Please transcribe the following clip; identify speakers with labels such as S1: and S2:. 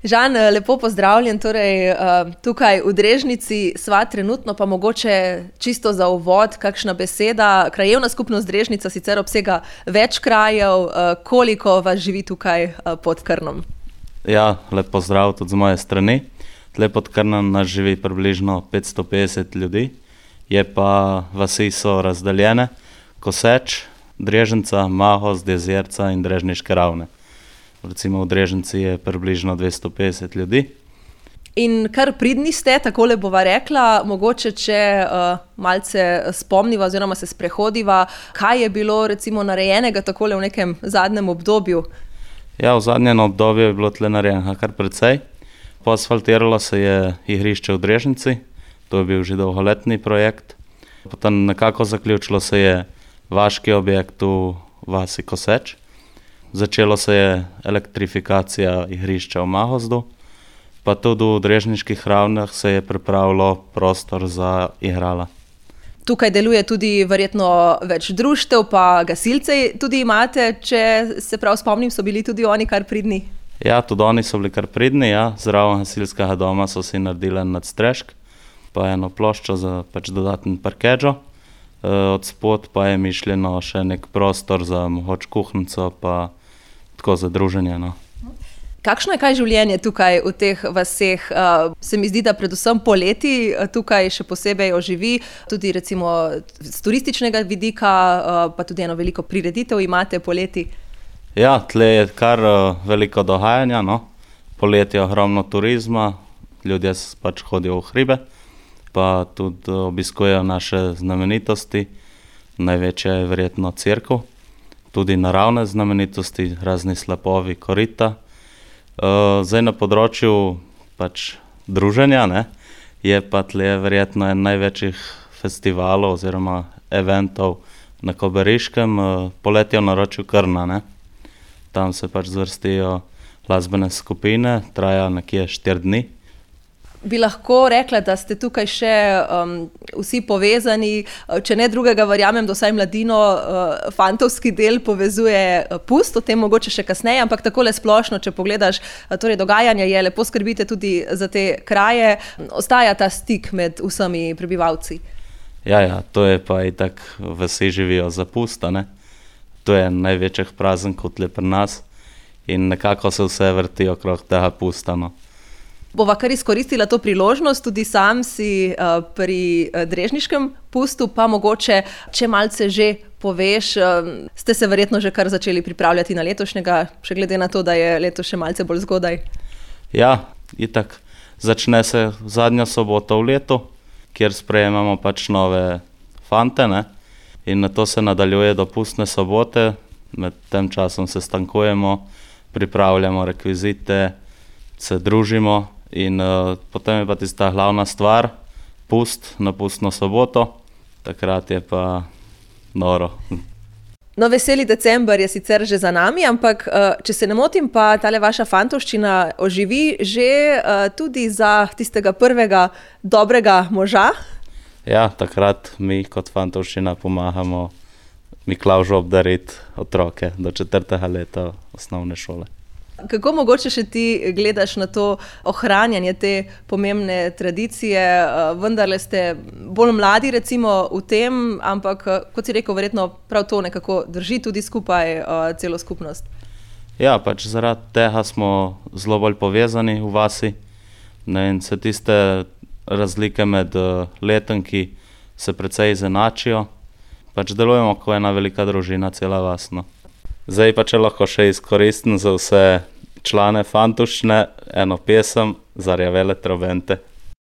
S1: Žan, lepo pozdravljen, torej tukaj v Drežnici sva trenutno, pa mogoče čisto za uvod, kakšna beseda. Krajevna skupnost Drežnica sicer obsega več krajev, koliko vas živi tukaj pod Krnom?
S2: Ja, lep pozdrav tudi z moje strani. Tle pod Krnom nas živi približno 550 ljudi, je pa vasi so razdeljene, Koseč, Drežnica, Mahos, Jezerca in Drežniške Ravne. Recimo v Drežnici je približno 250 ljudi.
S1: In kar pridni ste, takole bova rekla, mogoče če malce spomniva oziroma se sprehodiva, kaj je bilo recimo narejenega takole v nekem zadnjem obdobju?
S2: Ja, v zadnjem obdobju je bilo tle narejenega kar precej. Poasfaltiralo se je igrišče v Drežnici, to je bil že dolgoletni projekt. Potem nekako zaključilo se je vaški objekt v vasi Koseč. Začelo se je elektrifikacija igrišča v Mahozdu, pa tudi v Drežniških Ravnah se je pripravilo prostor za igrala.
S1: Tukaj deluje tudi verjetno več društev, pa gasilci tudi imate, če se prav spomnim, so bili tudi oni kar pridni.
S2: Ja, tudi oni so bili kar pridni, ja. Zraven gasilskega doma so si naredili nadstrešek, pa eno ploščo za dodaten parkežo. Od spod pa je mišljeno še nek prostor za mogoče kuhnico, pa tako za druženje. No.
S1: Kakšno je kaj življenje tukaj v teh vaseh? Se mi zdi, da predvsem poleti tukaj še posebej oživi, tudi recimo z turističnega vidika, pa tudi eno veliko prireditev imate poleti.
S2: Ja, tle je kar veliko dogajanja, no. Poleti je ogromno turizma, ljudje pač hodijo v hribe, pa tudi obiskujejo naše znamenitosti, največja je verjetno cerkev, tudi naravne znamenitosti, razni slapovi, korita. Zdaj na področju pač druženja, ne, je pa tle verjetno en največjih festivalov oziroma eventov na Kobariškem, poletje v naročju Krna, ne. Tam se pač zvrstijo glasbene skupine, traja nekje 4 dni.
S1: Bi lahko rekla, da ste tukaj še vsi povezani, če ne drugega, verjamem, da vsaj mladino fantovski del povezuje pust, o tem mogoče še kasneje, ampak takole splošno, če pogledaš, torej dogajanje je, lepo skrbite tudi za te kraje, ostaja ta stik med vsemi prebivalci.
S2: Ja, to je pa itak, vsi živijo za pusta, ne. To je največjih praznikov tle pri nas in nekako se vse vrti okrog tega pusta, no.
S1: Bova kar izkoristila to priložnost, tudi sam si pri Drežniškem pustu, pa mogoče, če malce že poveš, ste se verjetno že kar začeli pripravljati na letošnjega, še glede na to, da je leto še malce bolj zgodaj.
S2: Ja, itak, začne se zadnjo soboto v letu, kjer sprejemamo pač nove fante, ne, in na to se nadaljuje do pustne sobote, med tem časom se stankujemo, pripravljamo rekvizite, se družimo. In potem je pa tista glavna stvar, pust na pustno soboto, takrat je pa noro.
S1: No, veseli december je sicer že za nami, ampak če se ne motim, pa tale vaša fantovščina oživi že tudi za tistega prvega dobrega moža.
S2: Ja, takrat mi kot fantovščina pomagamo Miklavžu obdariti otroke do 4. leta osnovne šole.
S1: Kako mogoče še ti gledaš na to ohranjanje te pomembne tradicije? Vendarle ste bolj mladi recimo v tem, ampak kot si rekel, verjetno prav to nekako drži tudi skupaj celo skupnost.
S2: Ja, pač zaradi tega smo zelo bolj povezani v vasi. In se tiste razlike med letenki se precej izenačijo. Pač delujemo kot ena velika družina, cela vas, no. Zdaj pa če lahko še izkoristim za vse člane fantovščine eno pesem Zarjavele trobente.